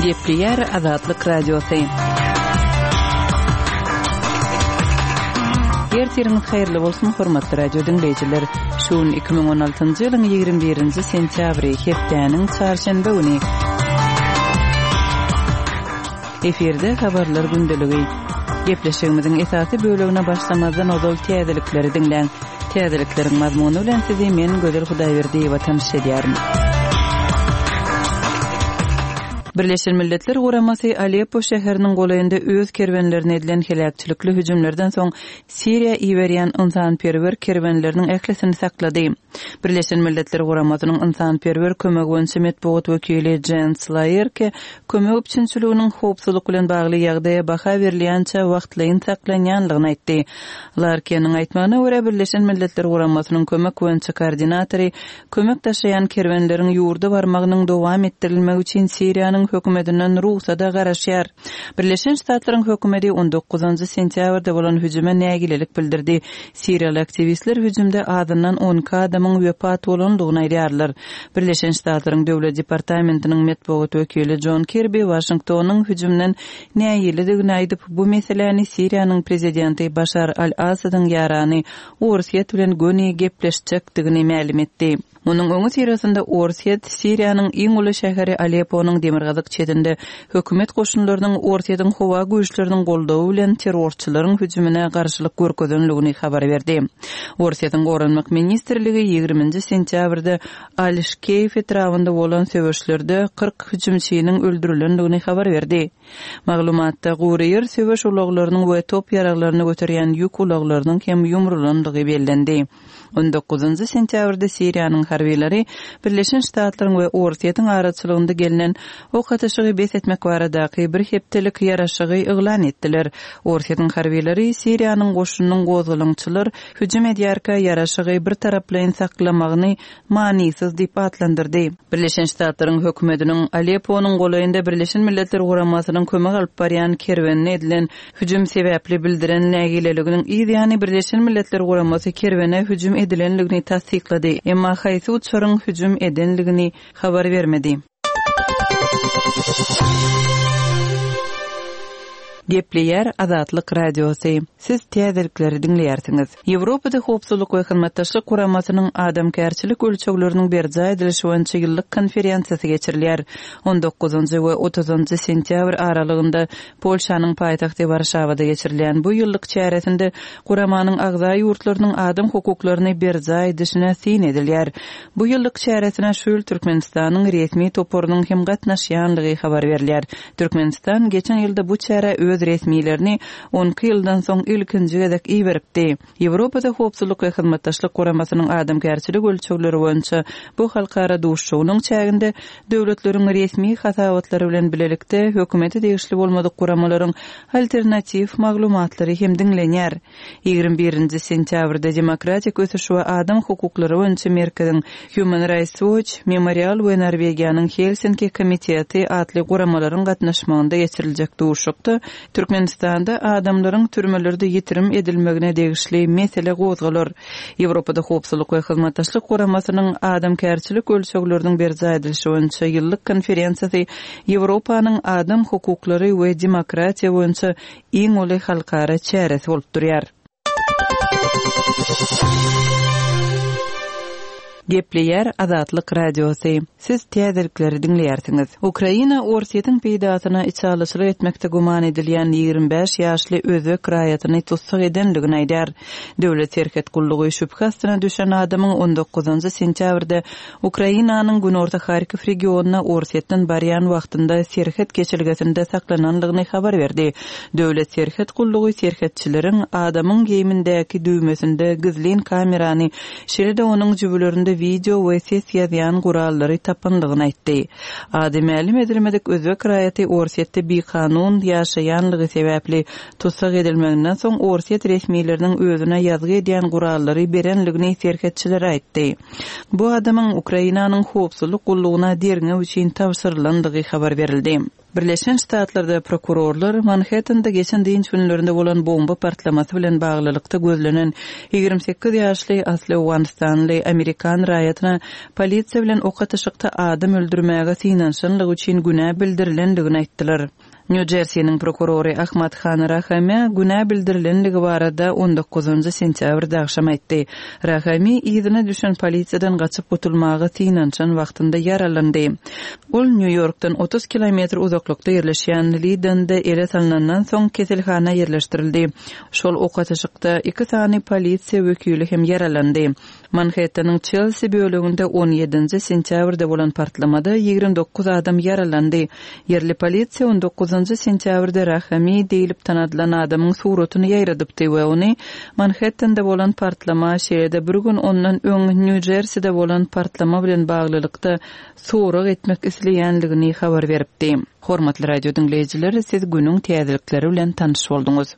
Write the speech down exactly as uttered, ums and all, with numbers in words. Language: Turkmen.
Gepleýär Azatlyk Radiosy. Ertiriňiz haýyrly bolsun, hormatly radio diňleýjiler. Şu gün iki müň on altynjy ýylyň ýigrimi birinji sentýabry, hepdäniň çarşenbe güni. Efirde habarlar gündeligi. Gepleşigimiziň esasy bölegine başlamazdan ozal täzelikleri diňläň. Täzelikleriň mazmuny bilen sizi men Gözel Hudaýberdiýewa tanyş edýärin. Birleşen Milletler Guramasy Aleppo şäheriniň golaýynda öz kerwenlerine edilen heläkçilikli hüjümlerden soň Siriýa iberýän ynsanperwer kerwenleriniň ählisini saklady. Birleşen Milletler Guramasynyň ynsanperwer kömegi boýunça metbugat wekili Jens Laerke kömek üpjünçiliginiň howpsuzlyk bilen bagly ýagdaýa baha berilýänçä wagtlaýyn saklanýanlygyny aýtdy. Larkeniň aýtmagyna görä, Birleşen Milletler Guramasynyň kömek boýunça koordinatory kömek daşaýan kerwenleriň ýurda barmagynyň dowam etdirilmegi üçin Siriýanyň hökümetinden rugsada garaşýar. Birleşen Ştatlaryň hökümeti on dokuzynjy sentýabrda bolan hüjüme nägilelik bildirdi. Siriýaly aktiwistler hüjümde azyndan on iki adamyň wepat bolandygyny aýdýarlar. Birleşen Ştatlaryň Döwlet departamentiniň metbugat wekili Jon Kirbi Waşingtonyň hüjümden nägiledigini aýdyp, bu meseläni Siriýanyň prezidenti Başar al-Asadyň ýarany Orsýet bilen göni gepleşjekdigini mälim etdi. Munuň öňi syrasynda Orsýet Siriýanyň iň uly şäheri Alepponuň demirgazyk çetinde hökümet goşunlarynyň Orsýetiň howa güýçleriniň goldawy bilen terrorçylaryň hüjümine garşylyk görkezenligini habar berdi. Orsýetiň Goranmak ministrligi ýigriminji sentýabrda Al-Şkeýf etrabynda bolan söweşlerde kyrk hüjümçiniň öldürilendigini habar berdi. Maglumatda gury ýer söweş ulaglarynyň we top ýaraglaryny göterýän ýük ulaglarynyň hem ýumrulandygy bellendi. on dokuzynjy sentýabrda Siriýanyň harbylary Birleşen Ştatlaryň we Orsýetiň araçylygynda gelnen ok atyşygy bes etmek baradaky bir hepdelik ýaraşygy yglan etdiler. Orsýetiň harbylary Siriýanyň goşunynyň gozgalaňçylar hüjüm edýärkä ýaraşygy bir taraplaýyn saklamagyny manysyz diýip atlandyrdy. Birleşen Ştatlaryň hökümetiniň Alepponuň golaýynda Birleşen Milletler Guramasynyň kömek alyp barýan kerwenine edilen hüjüm sebäpli bildiren nägileliginiň yz ýany Birleşen Milletler Guramasy kerwene hüjüm edilenligini tassyklady. Emma haýsy uçaryň hüjüm edenligini habar bermedi. Gepleýär Azatlyk Radiosy. Siz täzelikleri diňleýärsiňiz. Ýewropada howpsuzlyk we hyzmatdaşlyk guramasynyň adamkärçilik ölçegleriniň berjaý edilişi boýunça ýyllyk konferensiýasy geçirilýär. on dokuzynjy we otuzynjy sentýabr aralygynda Polşanyň paýtagty Warşawada geçirilýän bu ýyllyk çäresinde guramanyň agza ýurtlarynyň adam hukuklaryny berjaý edişine syn edilýär. Bu ýyllyk çäresine şu ýyl Türkmenistanyň resmi toparynyň hem gatnaşýanlygy habar berilýär. Türkmenistan geçen ýylda bu çärä öz resmilerini on iki ýyldan soň ilkinji gezek iberipdi. Ýewropada howpsuzlyk we hyzmatdaşlyk guramasynyň adamkärçilik ölçegleri boýunça bu halkara duşuşygynyň çäginde döwletleriň resmi hasabatlary bilen bilelikde hökümete degişli bolmadyk guramalaryň alternatiw maglumatlary hem diňlenýär. Ýigrimi birinji sentýabrda Demokratik ösüş we adam hukuklary boýunça merkeziň Human Rights Watch, Memorial we Norwegiýanyň Helsinki komiteti atly guramalaryň gatnaşmagynda geçiriljek duşuşykda Türkmenistanda adamlaryň türmelerde ýitirim edilmegine degişli mesele gozgalar. Ýewropada howpsuzlyk we hyzmatdaşlyk guramasynyň adamkärçilik ölçegleriniň berjaý edilişi boýunça ýyllyk konferensiýasy Ýewropanyň adam hukuklary we demokratiýa boýunça iň uly halkara çäresi bolup durýar. Gepleýär Azatlyk Radiosy. Siz täzelikleri diňleýärsiňiz. Ukraina Orsýetiň peýdasyna içalyçylyk etmekde güman edilýän ýigrimi bäş ýaşly özbek raýatyny tussag edenligini aýdar. Döwlet serhet gullugy şübhe astyna düşen adamyň on dokuzynjy sentýabrda Ukrainanyň Günorta Harkiw regionyna Orsýetden barýan wagtynda serhet geçelgesinde saklananlygyny habar berdi. Döwlet serhet gullugy serhetçileriň adamyň geýimindäki düwmesinde gizlin kamerany, şeýle-de onuň jübülerinde video we ses ýazýan gurallary tapanlygyny aýtdy. Ady mälim edilmedik özbek raýaty Orsýetde bikanun ýaşaýanlygy sebäpli tussag edilmeginden soň Orsýet resmileriniň özüne ýazgy edýän gurallary berenligini serhetçiler aýtdy. Bu adamyň Ukrainanyň howpsuzlyk gullugyna derňew üçin tabşyrylandygy habar berildi. Birleşen Ştatlarda prokurorlar Manhattanda geçen dynç günlerinde bolan bomba partlamasy bilen baglylykda gözlenen ýigrimi sekiz ýaşly asly owganystanly amerikan raýatyna polisiýa bilen ok atyşykda adam öldürmäge synanyşanlygy üçin günä bildirilendigini aýtdylar. Nýu-Jersiniň prokurory Ahmad Han Rahamä günä bildirilenligi barada on dokuzynjy sentýabrda agşam aýtdy. Rahami yzyna düşen polisiýadan gaçyp gutulmaga synanyşan wagtynda ýaralandy. Ol Nýu-Ýorkdan otuz kilometr uzaklykda ýerleşýän Lidende ele salnandan soň keselhana ýerleşdirildi. Şol ok atyşykda iki sany polisiýa wekili hem ýaralandy. Manhetteniň Çelsi böleginde on ýedinji sentýabrda bolan partlamada ýigrimi dokuz adam ýaralandy. Ýerli polisiýa on dokuzynjy sentýabrda Rahami diýlip tanadylan adamyň suratyny ýaýradypdy we ony Manhettende bolan partlama, şeýle-de bir gün ondan öň Nýu-Jerside bolan partlama bilen baglylykda sorag etmek isleýänligini habar beripdi. Hormatly radio diňleýjiler, siz günüň täzelikleri bilen tanyş bolduňyz.